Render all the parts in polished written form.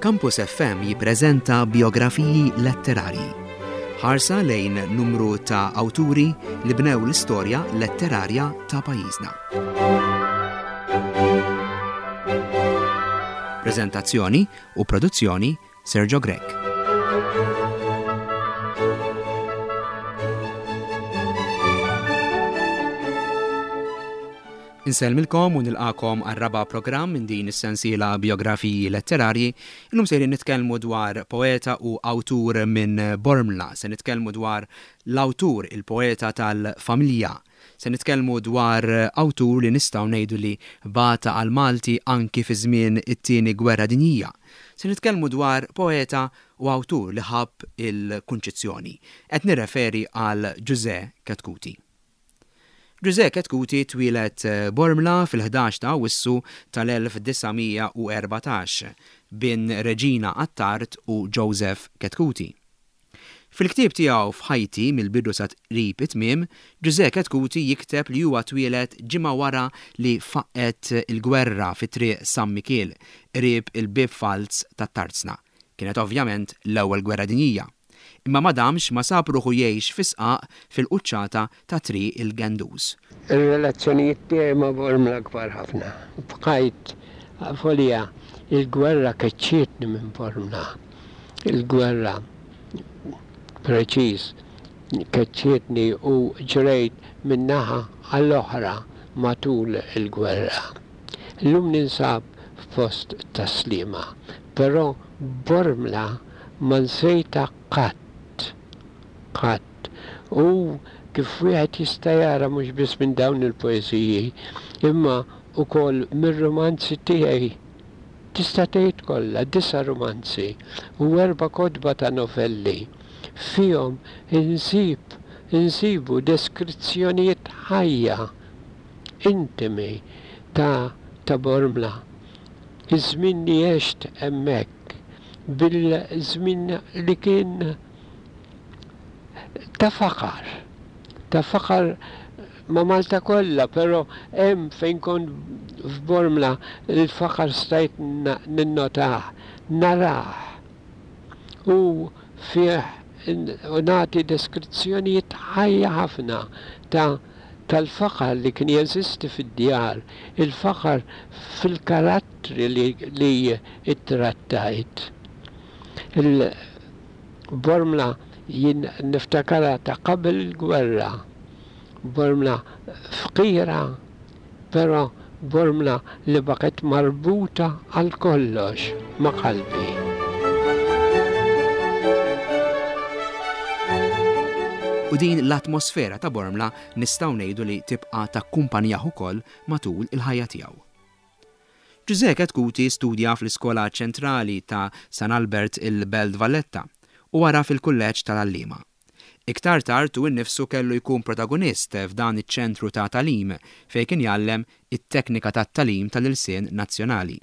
Campus FM jippreżenta bijografiji letterarji. Ħarsa lejn numru ta' awturi li bnew l-istorja letterarja ta' pajjiżna. Preżentazzjoni u produzzjoni Sergio Grech. Insellmilkom u nilqakom għar-raba' programm minn din is-sensiela Bijografiji Letterarji. Illum sejrin nitkellmu dwar poeta u awtur minn Bormla. Se nitkellmu dwar l-awtur, il-poeta tal-familja. Se nitkellmu dwar awtur li nistgħu ngħidu li bata għall-Malti anki fi żmien it-Tieni Gwerra Dinjija. Se nitkellmu dwar poeta u awtur li ħabb il-Kunċizzjoni. Qed nirreferi għal Ġużè Chetcuti. Ġużè Chetcuti twieled Bormla fil-11 ta' Awwissu tal-1914, bin Reġina Attard u Joseph Chetcuti. Fil-ktieb tiegħu F'Ħajti mill-bidu sa qrib it-tmiem, Ġużè Chetcuti jikteb li huwa twieled ġimgħa wara li faqqgħet il-gwerra fi Triq San Mikiel, qrib il-Bieb Falz tat-Tarzna. Kienet ovvjament l-Ewwel Gwerra Dinjija. Imma ma damx ma sab ruħu jgħix fi sqaq fil-quċċata ta' Triq il-Gendus. Ir-relazzjonijiet tiegħi ma' Bormla kbar ħafna. Bqajt avolja il-gwerra keċċietni minn Bormla. Il-gwerra preċiż keċċietni u ġrejt minn naħa għall-oħra matul il-gwerra. Illum ninsab f'post Tas-Sliema, però Bormla ma nsejtha qatt, qatt. U kif wieħed jista' jara mhux biss minn dawn il-poeżiji, imma wkoll mir-rumanzi tiegħi, tista' tgħid kollha, disa' rumanzi u erba' kotba ta' novelli, fihom insib, insibu deskrizzjonijiet ħajja, intimi ta' ta' Bormla. Iż-żmien li għext hemmhekk, bil-żmien li kien ta' faqar, ta' faqar ma' Malta kollha, però hemm fejn kont f'Bormla l-faqar stajt ninnotah, narah. U fih u nagħti deskrizzjonijiet ħajja ħafna ta' tal-faqar li kien jeżisti fid-djar, il-faqar fil-karattri li li ittrattajt. Il-Bormla jien niftakarha ta' qabel il-gwerra, Bormla fqira però Bormla li baqgħet marbuta għal kollox ma' qalbi. U din l-atmosfera ta' Bormla nistgħu ngħidu li tibqa' takkumpanjah ukoll matul il-ħajja tiegħu. Ġużè Chetcuti studja fl-Iskola Ċentrali ta' San Albert il-Belt Valletta u wara fil-Kulleġġ tal-Għalliema. Iktar tard hu nnifsu kellu jkun protagonist f'dan iċ-ċentru ta' tagħlim fejn kien jgħallem it-teknika tat-tagħlim tal-ilsien nazzjonali.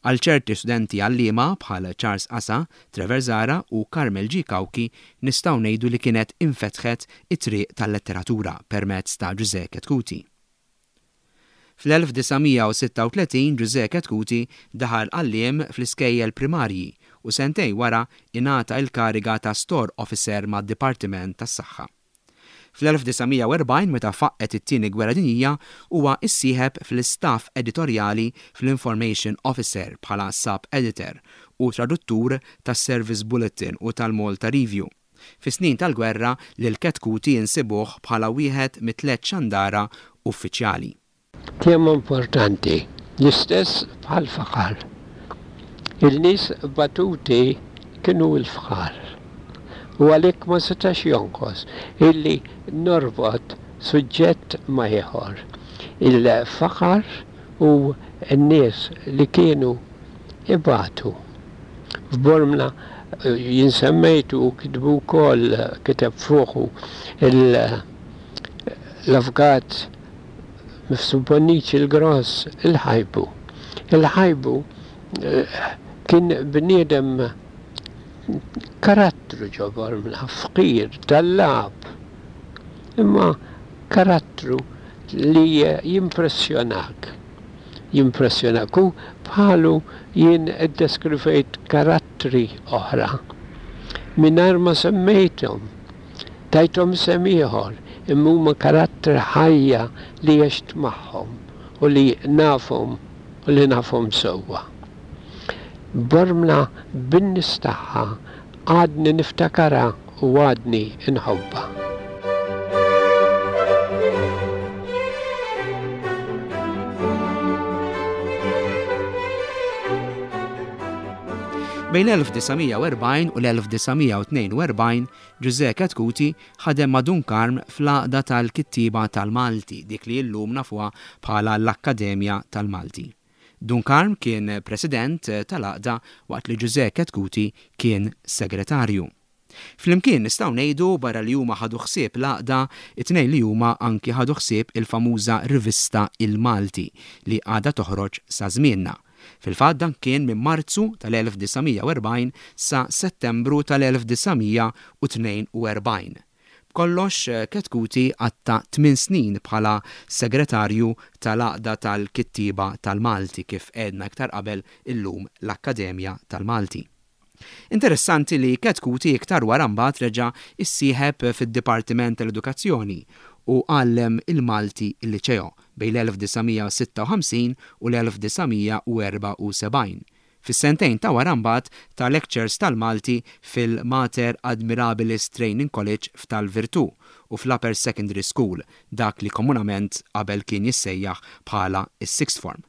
Għal ċerti studenti għalliema bħal Charles Casa, Trevor Zahra u Carmel G. Cauchi nistgħu ngħidu li kienet infetħet it-triq tal-letteratura permezz ta' Ġużè Chetcuti. Fl-1936 Ġużè Chetcuti daħal għalliem fl-iskejjel primarji u sentejn wara ingħata il-kariga ta' Store Officer mad-Dipartiment tas-Saħħa. Fl-1940 meta faqqgħet it-Tieni Gwerra Dinjija huwa issieħeb fl-istaff editorjali fl-Information Officer bħala Sub-Editor u traduttur tas-Service Bulletin u tal-Malta Review. Fis-snin tal-gwerra lil Chetcuti insibuh bħala wieħed mit-tlett xandara uffiċjali. Tema importanti, l-istess bħall-faqar. Il-nies batuti kienu l-fqar. U għalhekk ma setax jonqos illi norbot suġġett ma' ieħor. Il-faqar u n-nies li kienu ibatu. F'Bormla jien semmejt u kitbu wkoll, kiteb fuqu l-Avukat Mifsud Bonnici l-Gross, il-Ħajbu. Il-Ħajbu kien bniedem karattru ġo Bormla, fqir, tallab, imma karattru li jimpressjonak. jimpressjonak u bħalu jien iddeskrivejt karattri oħra mingħajr ma semmejthom. Tajthom isem ieħor imma huma karattri ħajja li għext magħhom u li nafhom u li nafhom sewwa. Bormla bin-nies tagħha għadni niftakarha u għadni nħobbha. Bejn l-1940 u l-1942, Ġużè Chetcuti ħadem ma' Dun Karm fl-Għaqda tal-Kittieba tal-Malti, dik li llum nafuha bħala l-Akkademja tal-Malti. Dun Karm kien President tal-Għaqda waqt li Ġużè Chetcuti kien Segretarju. Flimkien nistgħu ngħidu barra li huma ħadu ħsieb l-Għaqda, it-tnejn li huma anki ħadu ħsieb il-famuża rivista Il-Malti li għadha toħroġ sa żmienna. Fil-fatt dan kien minn Marzu tal-1940 sa Settembru tal-1942. B'kollox, Chetcuti qatta' tmien snin bħala Segretarju tal-Għaqda tal-Kittieba tal-Malti, kif għedna iktar qabel illum l-Akkademja tal-Malti. Interessanti li Chetcuti iktar wara mbagħad reġa' issieħeb fid-Dipartiment tal-Edukazzjoni u għallem il-Malti l-Liċeo bejn l-1956 u l-1974. Fis-sentejn ta' wara mbagħad ta lectures tal-Malti fil-Mater Admirabilis Training College f'Tal-Virtù u fl-Upper Secondary School, dak li komunament qabel kien jissejjaħ bħala s-Sixth Form.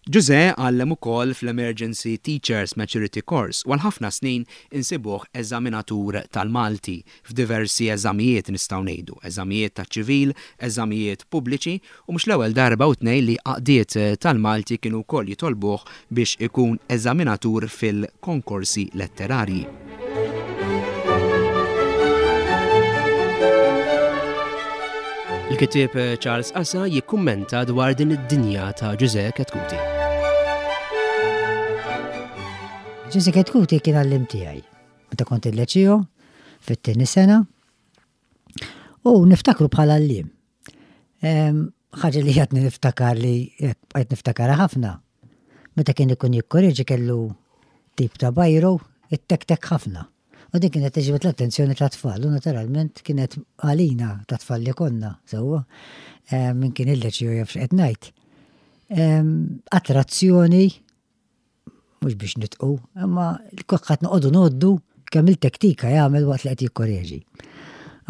Ġużè għallem ukoll fl-Emergency Teachers Maturity Course u għal ħafna snin insibuh eżaminatur tal-Malti f'diversi eżamijiet nistgħu ngħidu, eżamijiet taċ-ċivil, eżamijiet pubbliċi U mhux l-ewwel darba u tnejn li għaqdiet tal-Malti kienu wkoll jitolbuh biex ikun eżaminatur fil-konkorsi letterarji. Il-kittieb Charles Asa jikkummenta dwar din id-dinja ta' Ġużè Chetcuti. Ġużè Chetcuti kien għalliem tiegħi meta kont il-leċio fit-tieni sena u niftakru bħala għalliem. Ħaġa li għadni niftakar li bqajt niftakarha ħafna. Meta kien ikun jikkoreġi kellu tip ta' bajru it-tek-tek ħafna. U din kienet tiġbed l-attenzjoni ta' tfal u naturalment kienet għalina ta' tfal li konna, sewwa, min kien il-leċiju jaf x'qed ngħid. Attrazzjoni mhux biex nitqu, imma kulħadd noqogħdu ngħoddu kemm il-tektika jagħmel waqt li qed jikkoreġi.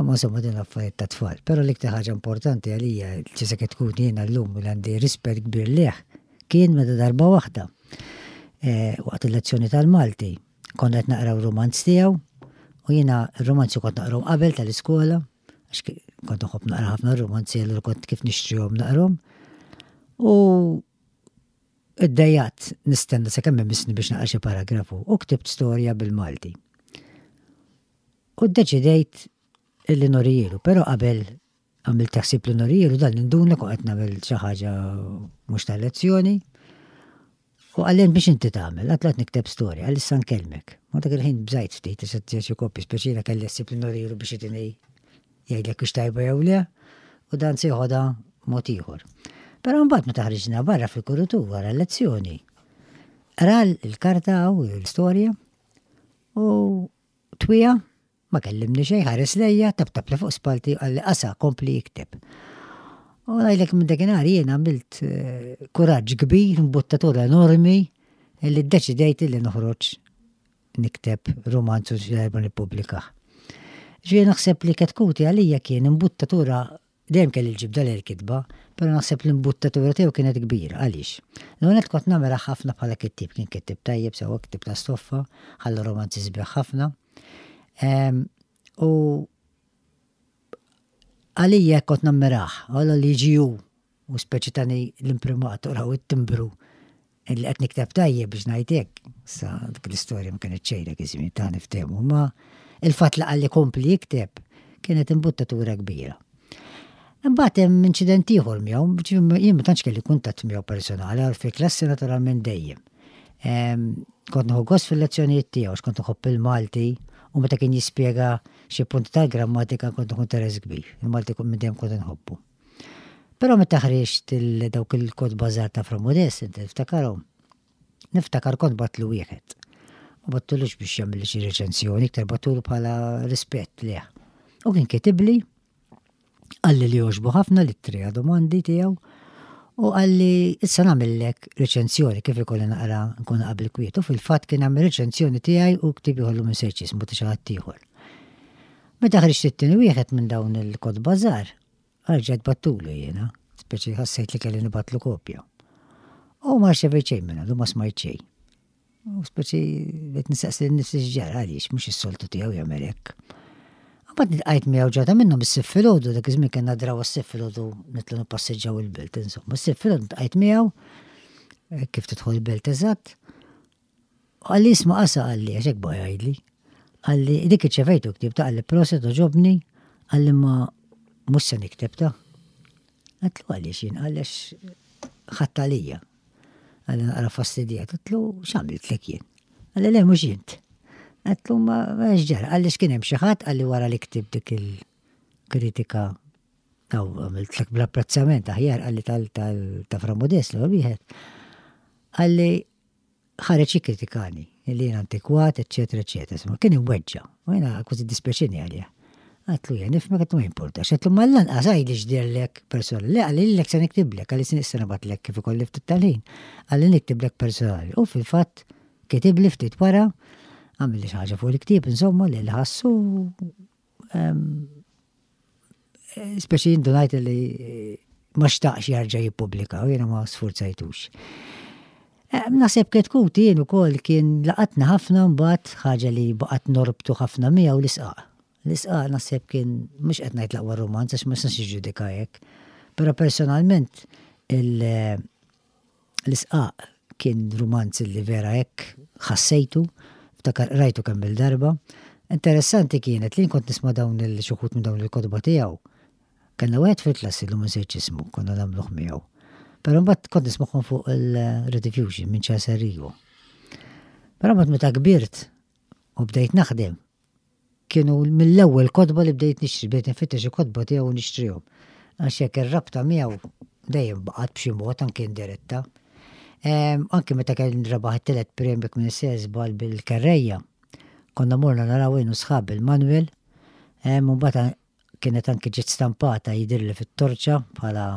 Imma insomma din affarijiet ta' tfal. Però l-iktar ħaġa importanti għalija li se tkun jiena llum li għandi rispett kbir lih kien meta darba waħda eh, waqt il-lezzjoni tal-Malti konna qed naqraw romanz tiegħu u jiena r-romanzi kont naqrom qabel tal-iskola għax kont nħobb naqra ħafna romanzi allura kont kif nixtrihom naqrom. U Iddejjaqt nistenna sakemm imissni biex naqra xi paragrafu u ktibt storja bil-Malti. U ddeċidejt illi norijielu, però qabel għamilt ħsieb li norijielu dan induna kont qed nagħmel xi ħaġa mhux tal-lezzjoni. U qalli biex inti tagħmel, għad qed nikteb storja, għal issa nkellmek. Ma dak il-ħin bżajt ftit, issa xi kopji speċina kelli ħsieb li norijielu biex itini jgħidlek hux tajba jew le, u dan se joħodha mod ieħor. Però mbagħad meta ħriġna barra fil-kurutur wara l-lezzjoni, ra l-karta u l-istorja u twija ma kellimni xejn ħares lejja, tabtab li fuq spalti qalli qasa kompli jikteb. U ngħidlek minn dakinhar jien għamilt eh, kuraġġ kbir, imbuttatura enormi li ddeċidejt li noħroġ nikteb rumanz u xi darba nippubblikah. Ġifieri naħseb li Ketkuti għalija kien imbuttatura dejjem kelli l-ġibda lejn il-kitba, però naħseb l-imbuttatura tiegħu kienet kbira. Għaliex? L-ewwel nett kont nagħmilha ħafna bħala kittieb, kien kittieb tajjeb sewwa kittieb ta' stoffa, ħalla romanzi sbieħ ħafna. Ehm, u għalija kont nammirah, għallu li jiġi hu U speċi tani l-imprimatur u it-timbru li qed nikteb tajjeb biex ngħid hekk. Sa dik l-istorja ma kienet xejn dak iż-żmien ta' niftehmu, ma il-fatt li qalli kompli jikteb kienet imbuttatura kbira. Imbagħad hemm inċident ieħor miegħu, jien ma tantx kelli kuntatt miegħu personali, għal fil-klassi naturalment dejjem. Ehm, kont nieħu gost fil-lezzjonijiet tiegħu, għax kont nħobb il-Malti u meta kien jispjega xi punti tal-grammatika kont nieħu interess kbir. Il-Malti minn dejjem kont inħobbu. Però meta ħriġt dawk il-kotba żgħar ta' Fra Modest, inti tiftakarhom? Niftakar kont bgħattlu wieħed. Ma bgħattulux biex jagħmilli xi reċensjoni, iktar bgħattulu bħala rispett lejh. U kien kitibli, qalli li għoġbu ħafna li t-tri għadhom għandi tiegħu, u qalli issa nagħmillek reċensjoni kif ikolli naqra nkun qabel kwiet. U fil-fatt kien għamel reċensjoni tiegħi u ktieb ieħor li m'insejtx ismu ta' xi ħadd ieħor. Meta ħriġt it-tieni wieħed minn dawn il-kotba żgħar, Erġajt bgħattulu jiena, speċi ħassejt li kelli nibgħatlu kopja. U ma rċevejt xejn minn għandu, ma smajt xejn. U speċi bdejt nistaqsi lil nifsi x'ġara għaliex mhux is-soltu tiegħu jagħmel hekk. Mbagħad nilqajt miegħu ġrata minnhom is-Sibt filgħodu, dak iż-żmien kellna draw is-Sibt filgħodu nitlu nippassiġġaw il-belt, insomma. Is-Sibt filgħodu niltqajt miegħu eh, kif tidħol il-belt eżatt. U qalli isma' qasa qalli għax hekk baqa' jgħidli. Qalli dik irċevejtu ktieb ta' qalli proset għoġobni, qalli ma mhux se nikteb ta'. Għedtlu għaliex jien qalli għax ħadt għalija. Qalli naqra fastidjat, għedtlu x'għamiltlek jien? Qalli le mhux int. Għedtlu ma x'ġara, qalli x'kien hemm xi ħadd qalli wara li ktibt dik il-kritika Aw għamiltlek bl-apprezzament aħjar qalli tal ta' Fra Modest l-ewwel wieħed. Qalli ħareġ jikkritikani li jien antikwat, eċċetera, eċċetera. Insomma, kien imweġġa'. U jiena kważi ddispjaċini għalih. Għedtlu jien nifhmek, għedtlu ma jimpurtax. Għedtlu ma lanqas għidli x'dehrlek personali. Le qalli lilek se niktiblek, qalli se nibgħatlek kif ikolli ftit tal-ħin. Qalli niktiblek personali. U fil-fatt kitibli ftit wara, għamilli xi ħaġa fuq il-ktieb, insomma, li ħassu Speċi indunajt li ma xtaqx jarġa' jippubblika u jiena ma sfurzajtux. Naħseb Ketkuti jien ukoll kien laqatni ħafna mbagħad ħaġa li baqgħet norbtu ħafna miegħu l-isqaq. L-isqaq naħseb kien mhux qed ngħid l-aqwa rumanz għax ma nistax niġġudika hekk. Però personalment il- L-Isqaq kien rumanz li vera hekk ħassejtu, ftakar qrajtu kemm-il darba. Interessanti kienet li jien kont nisma' dawn il xi wħud minn dawn il-kotba tiegħu. Kellna wieħed fil-klassi llum insejt x'ismu, konna nagħmluh miegħu. Però mbagħad kont nismagħhom fuq il-Rediffusion minn Charles Arrigo. Però mbagħad meta kbirt u bdejt naħdem, Kienu mill-ewwel kotba li bdejt nixtri, bdejt nfittex il-kotba tiegħu u nixtrihom. Għax hekk ir-rabta miegħu dejjem baqgħet b'xi mod anke indiretta. Ehm, anke meta kien rebaħ it-tielet premju jekk m'iniex żball bil-kerrejja, konna morna naraw jien u sħabi l-Manuel, ehm, u mbagħad kienet anke ġiet stampata jidhirli fit-torċa bħala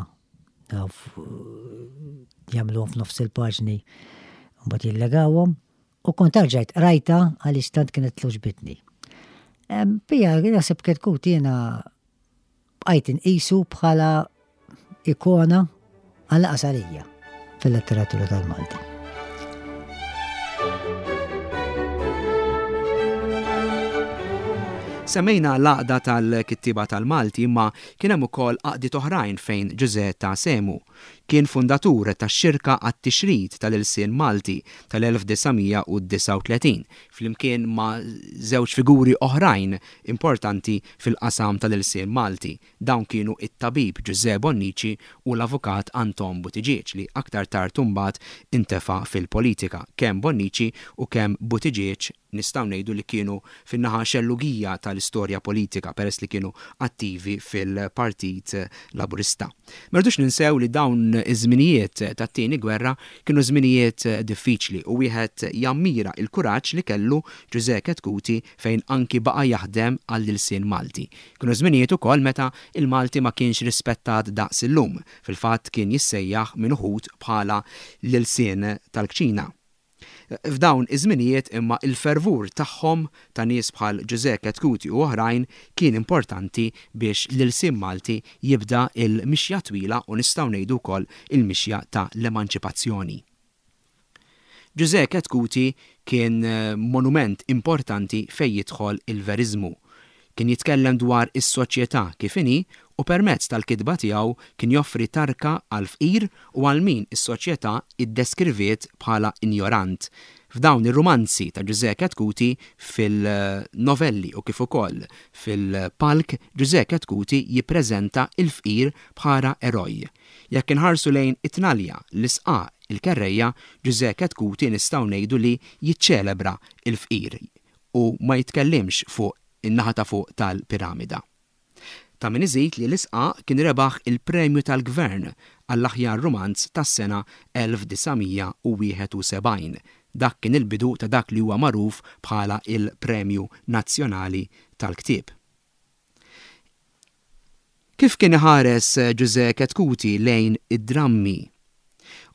jagħmluhom f'nofs il-paġni u mbagħad jillegawhom. U kont erġajt qrajtha għaliex tant kienet togħġbitni. Pija, naħseb Ketkut jiena bqajt inqisu bħala ikona għall-anqas għalija fil-letteratura tal-Malti. Semmejna l-Għaqda tal-Kittieba tal-Malti imma kien hemm ukoll għaqdiet oħrajn fejn Ġużè ta sehmu. Kien fundatur tax-Xirka għat-Tixrid tal-Ilsien Malti tal-1939, flimkien ma' żewġ figuri oħrajn importanti fil-qasam tal-ilsien Malti. Dawn kienu t-tabib Ġużè Bonnici u l-avukat Anton Buttigieg li aktar tard imbagħad intefa' fil-politika. Kemm Bonnici u kemm Buttigieg nistgħu ngħidu li kienu fin-naħa xellugija tal-istorja politika peress li kienu attivi fil-Partit Laburista. Ma rridux ninsew li dawn iż-żminijiet tat-Tieni Gwerra kienu żminijiet diffiċli u wieħed jammira l-kuraġġ li kellu Ġużè Chetcuti fejn anki baqa' jaħdem għall-ilsien Malti. Kienu żminijiet ukoll meta l-Malti ma kienx rispettat daqs illum, fil-fatt kien jissejjaħ minn uħud bħala l-ilsien tal-kċina. F'dawn iż-żminijiet imma il-fervur tagħhom, ta' nies bħal Ġużè Chetcuti u oħrajn, kien importanti biex l-ilsien Malti jibda l-mixja twila u nistgħu ngħidu wkoll il-mixja ta' l-emanċipazzjoni. Ġużè Chetcuti kien monument importanti fejn jidħol il-veriżmu. Kien jitkellem dwar is-soċjetà kif inhi u permezz tal-kitba tiegħu kien joffri tarka għall-fqir u għal min is-soċjetà iddeskriviet bħala injorant. F'dawn ir-rumanzi ta' Ġużè Chetcuti fil-novelli u kif ukoll fil-palk Ġużè Chetcuti jippreżenta l-fqir bħala eroj. Jekk inħarsu lejn it-tnalja, l-isqaq, il-kerrejja, Ġużè Chetcuti nistgħu ngħidu li jiċċelebra l-fqir u ma jitkellimx fuq in-naħa ta' fuq tal-piramida. Ta' min iżid li L-Isqaq kien rebaħ il-Premju tal-Gvern għall-aħjar rumanz tas-sena 1971. Dak kien il-bidu ta' dak li huwa magħruf bħala il-Premju Nazzjonali tal-Ktieb. Kif kien iħares Ġużè Chetcuti lejn id-drammi?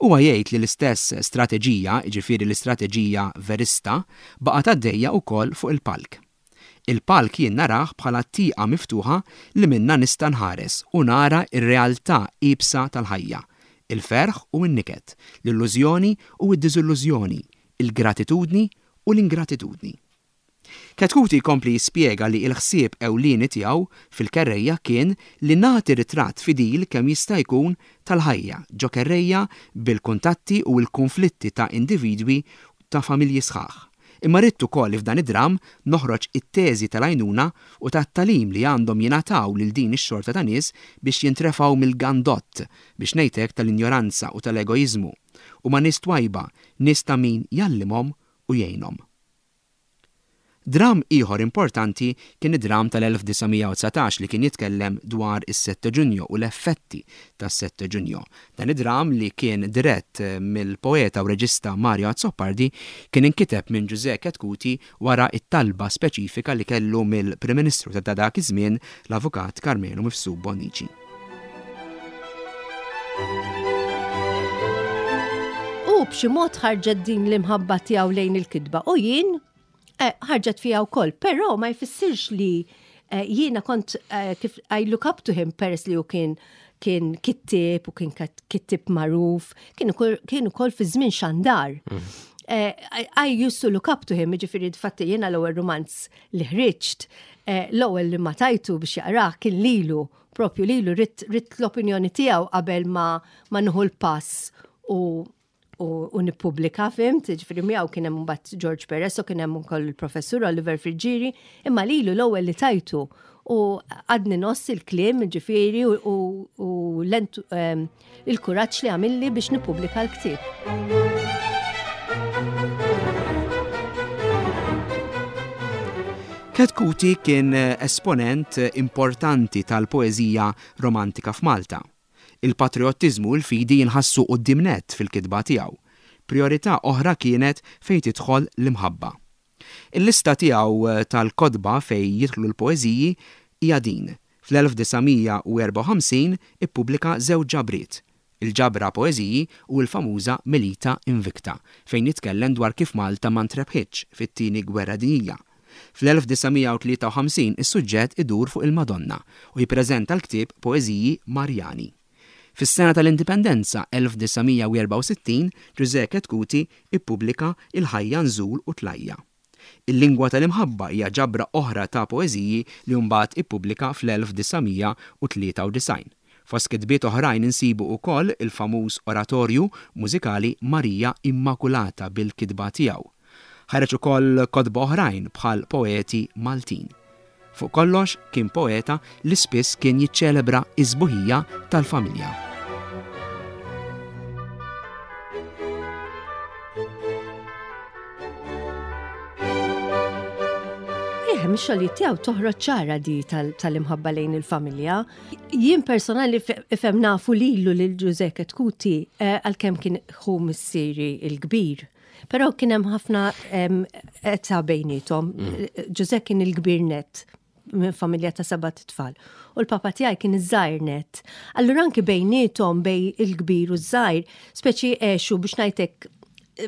Huwa jgħid li l-istess strateġija, jiġifieri l-istrateġija verista, baqgħet għaddejja wkoll fuq il-palk. Il-palk jien narah bħala tieqa miftuħa li minnha nista' nħares u nara r-realtà iebsa tal-ħajja, il-ferħ u n-niket, l-illużjoni u d-diżillużjoni, il-gratitudni u l-ingratitudni. Chetcuti jkompli jispjega li l-ħsieb ewlieni tiegħu fil-kerrejja kien li nagħti ritratt fidil kemm jista' jkun tal-ħajja ġo kerrejja bil-kuntatti u l-kunflitti ta' individwi ta' familji sħaħ. Imma ridt ukoll li f'dan id-dramm noħroġ it-teżi tal-għajnuna u tat-tagħlim li għandhom jingħataw lil din ix-xorta ta' nies biex jintrefgħu mill-gandott, biex ngħid hekk, tal-injoranza u tal-egoiżmu. Huma nies twajba, nies ta' min jgħallimhom u jgħinhom. Dramm ieħor importanti kien id-dramm tal-1919 li kien jitkellem dwar is-Sette Giugno u l-effetti tas-Sette Giugno. Dan id-dramm li kien dirett mill-poeta u reġista Mario Azzopardi kien inkiteb minn Ġużè Chetcuti wara t-talba speċifika li kellu mill-Prim Ministru ta' dak iż-żmien l-Avukat Karmenu Mifsud Bonnici. U b'xi mod ħarġet din l-imħabba tiegħu lejn il-kitba u jien eh, ħarġet fija wkoll, però ma jfissirx li eh, jiena kont eh, kif I look up to him peress li hu kien kien kittib u kien kittib magħruf, kien ukoll fi żmien xandar. Mm. I used to look up to him, ġifieri fatti jiena l-ewwel romanz li ħriġt, l-ewwel li ma tajtu biex jaqrah kien lilu propju lilu ridt l-opinjoni tiegħu qabel ma ma nieħu l-pass u u nippubblika fimt, ġifieri miegħu kien hemm mbagħad George Perez u kien hemm ukoll il-professur Oliver Friggieri, imma lilu l-ewwel li tajtu u għadni noss il-kliem ġifieri u ehm, il-kuraġġ li għamilli biex nippubblika l-ktieb. Chetcuti kien esponent importanti tal-poeżija romantika f'Malta. Il-patrijottiżmu u l-fidi jinħassu quddiem nett fil-kitba tiegħu. Prijorità oħra kienet fejn tidħol l-imħabba. Il-lista tiegħu tal-kotba fejn jidħlu l-poeżiji hija din, Fl-1954 ippubblika żewġ ġabriet, il-ġabra Poeżiji u l-famuża Milita Invicta, fejn jitkellem dwar kif Malta ma ntrebħitx fit-Tieni Gwerra Dinjija. Fl-1953 is-suġġett idur fuq il-Madonna u jippreżenta l-ktieb Poeżiji Marjani. Fis-sena tal-Indipendenza 1964 Ġużè Chetcuti ippubblika Il-Ħajja Nżul u Tlajja'. Il-Lingwa tal-Imħabba hija ġabra oħra ta' poeżiji li mbagħad ippubblika fl-1993. Fost kitbiet oħrajn insibu wkoll il-famuż oratorju mużikali Marija Immakulata bil-kitba tiegħu. Ħareġ ukoll kotba oħrajn bħal Poeti Maltin. Fuq kollox kien poeta li spiss kien jiċċelebra s-sbuħija tal-familja. Eh, mix-xogħlijiet tiegħu toħroġ ċara di tal-imħabba lejn il-familja. Jien personali ifhem nafu lilu lil Ġużè Chetcuti eh, għalkemm kien ħu missieri il-kbir. Però kien hemm ħafna età bejnietom. Mm. Ġużè kien il-kbir net minn familja ta' seba' tfal. U l-papa tiegħi kien iż-żgħir net. Allura anki bejnietom bej il-kbir u ż-żgħir, speċi għexu biex ngħidlek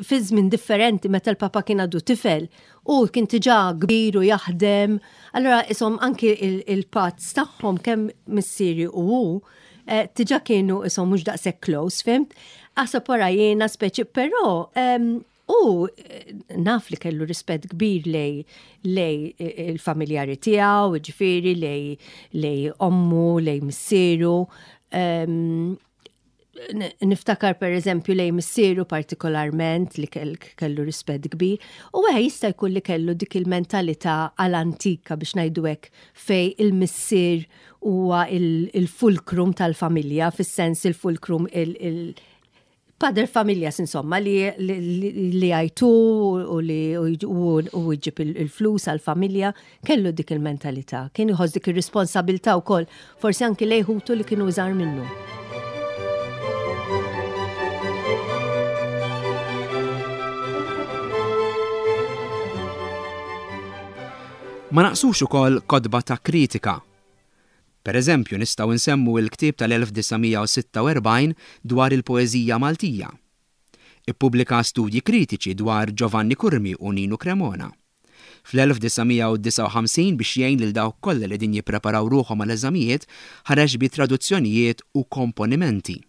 fi żmien differenti meta l-papa kien għadu tifel u kien diġà kbir u jaħdem. Allura isom anki il-pazz tagħhom kemm missieri u hu eh, diġà kienu isom mhux daqshekk close, fimt? Aħseb wara jiena speċi, però u eh, naf li kellu rispett kbir lej lej eh, il-familjari tiegħu, ġifieri lej lej ommu, lej missieru. Niftakar per eżempju lej missieru partikolarment li kellu rispett kbir. U għe jista' jkun li kellu dik il-mentalità għal-antika biex ngħidu hekk fej il-missier huwa il-fulcrum tal-familja, fis-sens il-fulcrum il Pader familjas insomma li li għajtu u li u jġib il-flus għal-familja kellu dik il-mentalità, kien iħoss dik ir-responsabilità wkoll, forsi anki lejn ħutu li kienu iżgħar minnu. Ma naqsux ukoll kotba ta' kritika. Per eżempju, nistgħu nsemmu l-ktieb tal-1946 dwar il-poeżija Maltija. Ippubblika studji kritiċi dwar Giovanni Curmi u Ninu Cremona. Fl-1959 biex jgħin lil dawk kollha li qegħdin jippreparaw ruħhom għal eżamijiet ħareġ bi traduzzjonijiet u komponimenti.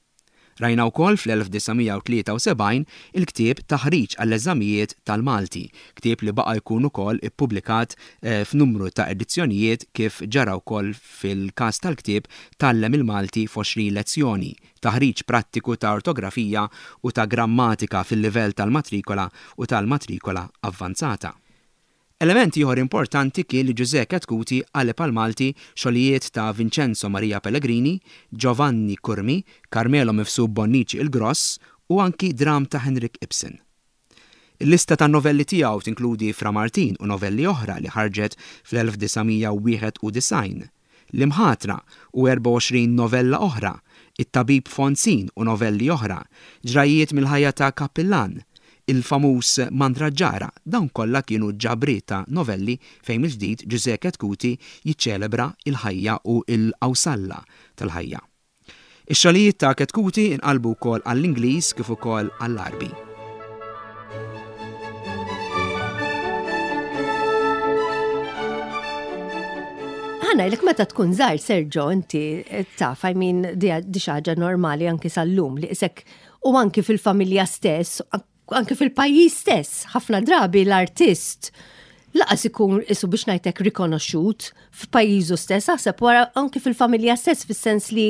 Rajna wkoll fl-1973 il-ktieb Taħriġ għall-Eżamijiet tal-Malti, ktieb li baqa' jkun ukoll ippubblikat f'numru ta' edizzjonijiet kif ġara wkoll fil-każ tal-ktieb Tgħallem il-Malti f'Għoxrin Lezzjoni, taħriġ prattiku ta' ortografija u ta' grammatika fil-livell tal-Matrikola u tal-Matrikola Avvanzata. Element ieħor importanti kien li Ġużè Chetcuti qaleb għall-Malti xogħlijiet ta' Vincenzo Maria Pellegrini, Giovanni Curmi, Carmelo Mifsud Bonnici il-Gross u anki dramm ta' Henrik Ibsen. Il-lista tan-novelli tiegħu tinkludi Fra Martin u novelli oħra li ħarġet fl-1991. L-Imħatra u 24 novella oħra, It-Tabib Fonzin u novelli oħra, Ġrajjiet mill-ħajja ta' Kappillan, il-famuż Mandraġġara, dawn kollha kienu ġabriet ta' novelli fejn mill-ġdid Ġużè Chetcuti jiċċelebra l-ħajja u l-qawsalla tal-ħajja. Ix-xogħlijiet ta' Chetcuti nqalbu wkoll għall-Ingliż kif ukoll għall-Għarbi. Ħa ngħidlek meta tkun żgħir Sergio inti taf, I mean di xi ħaġa normali anki sal-lum li isek u anki fil-familja stess, anke fil-pajjiż stess, ħafna drabi l-artist laqas ikun isu biex ngħidlek rikonoxxut f'pajjiżu stess, aħseb wara anke fil-familja stess fis-sens li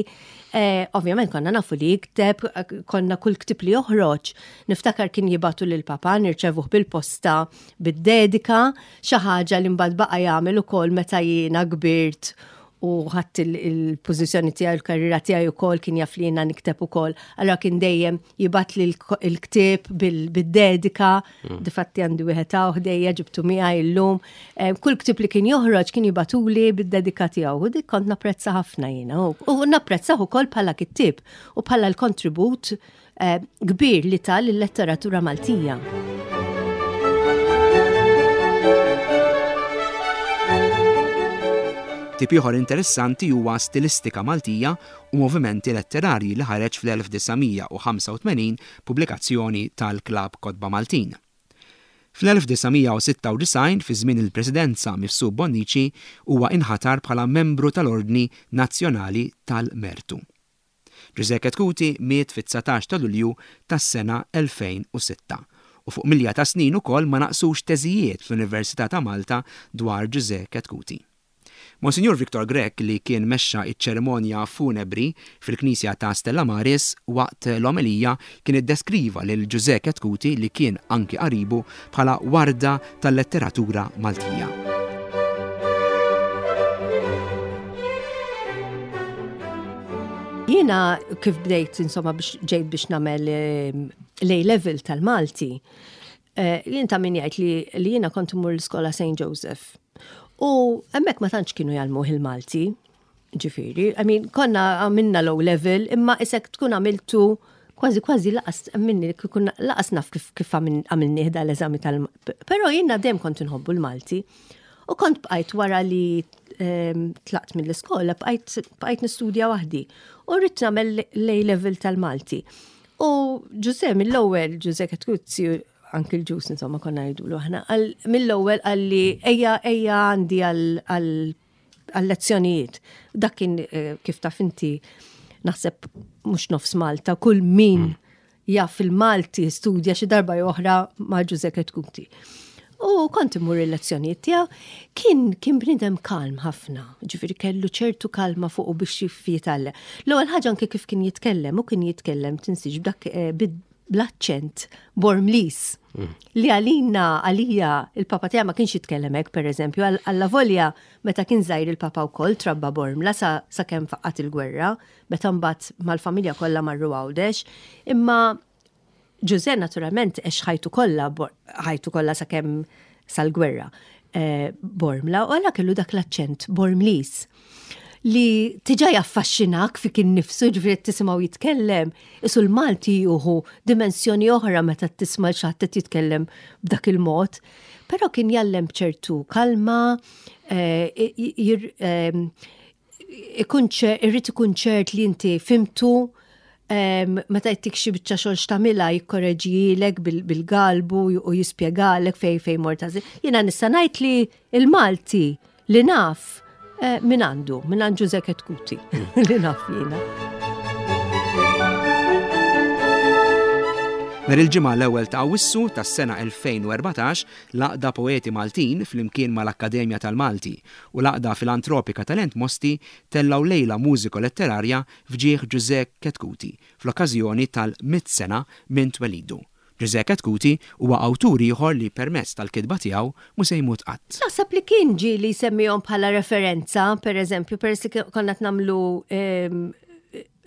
eh, ovvjament konna nafu li jikteb, konna kull ktib li joħroġ. Niftakar kien jibatu lil papa nirċevuh bil-posta bid-dedika, xi ħaġa li mbagħad baqa' jagħmel ukoll meta jiena kbirt u ħadd il-pożizzjoni tiegħi l-karriera tiegħi wkoll kien jaf li jiena nikteb ukoll. Allura kien dejjem jibgħatli l-ktieb bid-dedika, mm. difatti għandi wieħed hawn ħdejja ġibtu miegħi llum. Eh, kull ktieb li kien joħroġ kien jibatuli bid-dedika tiegħu u dik kont napprezza ħafna jiena. U napprezzah ukoll bħala kittieb u bħala l-kontribut Eh, kbir li ta lill-letteratura Maltija. Tip ieħor interessanti huwa Stilistika Maltija u Movimenti Letterarji li ħareġ fl-1985 pubblikazzjoni tal-Klabb Kotba Maltin. Fl-1996 fi żmien il-Presidenza Mifsud Bonnici huwa inħatar bħala membru tal-Ordni Nazzjonali tal-Mertu. Ġużè Chetcuti miet fit-19 ta' Lulju tas-sena 2006 u fuq milja ta' snin ukoll ma naqsux teżijiet fl-Università ta' Malta dwar Ġużè Chetcuti. Monsinjur Victor Grech li kien mexxa ċ-ċerimonja funebri fil-Knisja ta' Stella Maris waqt l-omelija kien iddeskriva lil Ġużè Chetcuti li kien anki qaribu bħala warda tal-letteratura Maltija. Jiena kif bdejt insomma biex ġejt biex nagħmel ehm, l-A level tal-Malti, eh, jien ta' min jgħid li, li jiena kont immur l-iskola St. Joseph. U hemmhekk ma tantx kienu jgħallmuh il-Malti, ġifieri, I mean, konna għamilna low level, imma isek tkun għamiltu kważi kważi laqas minni kikun laqas naf kif kif għamilni da l-eżami tal Però jiena dejjem kont inħobbu l-Malti. U kont bqajt wara li ehm, tlaqt mill-iskola, bqajt nistudja waħdi. U rrid nagħmel l-A level tal-Malti. U Ġuże mill-ewwel, Ġuże Ketkuzzi, anki l-ġus insomma konna ngħidulu aħna, mill-ewwel qalli ejja ejja għandi għal-lezzjonijiet. Dak kien eh, kif taf inti naħseb mhux nofs Malta, kull min mm. jaf il-Malti studja xi darba jew oħra ma' Ġuże Chetcuti. U kont immur il-lezzjonijiet tiegħu, kien kien bniedem kalm ħafna, ġifieri kellu ċertu kalma fuqu biex jitgħallem. L-ewwel ħaġa anke kif kien jitkellem, u kien jitkellem tinsiex b'dak eh, bl-aċċent Bormliż. Mm. Li għalina, għalija, il-papa tiegħi ma kienx jitkellem hekk, pereżempju, għalla volja meta kien żgħir il-papa wkoll trabba Bormla sa, sa kemm faqqat il-gwerra, meta mbagħad mal-familja kollha marru Għawdex, imma Ġużè naturalment għex ħajtu kollha ħajtu kollha sakemm sal-gwerra eh, Bormla u għalla kellu dak l-aċċent Bormliż li tiġa jaffaxxinak fik innifsu ġifieri tisimgħu jitkellem, isu l-Malti juhu dimensjoni oħra meta tisma' xi ħadd qed jitkellem b'dak il-mod. Però kien jallem b'ċertu kalma, eh, ehm, ikun irrid ikun ċert li inti fimtu meta jtik xi biċċa xogħol x'tagħmilha jikkoreġilek bil-galbu u jispjegalek fej fej mort Jiena nista' ngħid li l-Malti li naf eh, min għandu, min għand Ġuże Ketkuti li naf jiena. Nhar il-Ġimgħa l-ewwel ta' Awwissu tas-sena 2014, l-Għaqda Poeti Maltin flimkien mal-Akkademja tal-Malti u l-Għaqda Filantropika Talent Mosti tellgħu lejla mużiko-letterarja f'ġieħ Ġużè Chetcuti fl-okkażjoni tal-mitt sena minn twelidu. Ġużè Chetcuti huwa awtur ieħor li permezz tal-kitba tiegħu mhu se jmut qatt. Naħseb li kien ġieli jsemmihom bħala referenza, per eżempju, peress li konna qed nagħmlu ehm,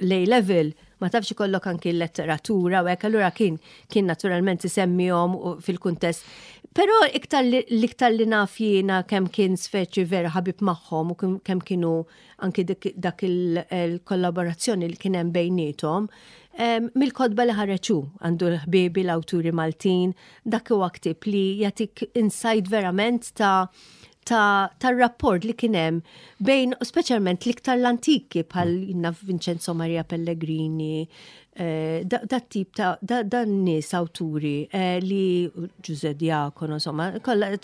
l-A level, ma tafx ikollok anki l-letteratura u hekk, allura kien kien naturalment isemmihom fil-kuntest. Però iktar l-iktar li naf jiena kemm kien speċi vera ħabib magħhom u kemm kienu anki dak il-kollaborazzjoni li kien hemm bejniethom, mill-kotba li ħareġ hu, għandu l-ħbiebi l-awturi Maltin, dak huwa ktieb li jagħtik insight verament ta' tar-rapport li kien hemm bejn speċjalment l-iktar l-antiki bħal jinna Vincenzo Maria Pellegrini, eh, dat tip ta' dan nies awturi eh, li Ġuże Diakono, insomma, kollha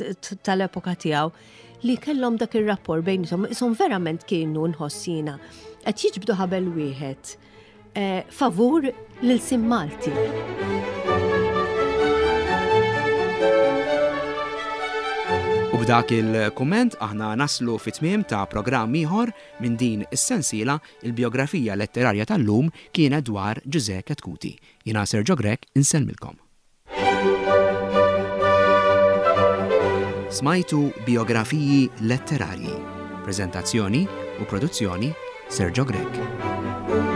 tal-epoka tiegħu li kellhom dak ir-rapport bejniethom, ishom verament kienu nħoss jiena qed jiġbdu ħabel wieħed eh, favur l-ilsien Malti. U b'dak il-kumment aħna naslu fit-tmiem ta' programm ieħor minn din is-sensiela il-biografija letterarja tal-lum kienet dwar Ġużè Chetcuti. Jiena Sergio Grech insellmilkom. Smajtu Bijografiji Letterarji. Preżentazzjoni u produzzjoni Sergio Grech.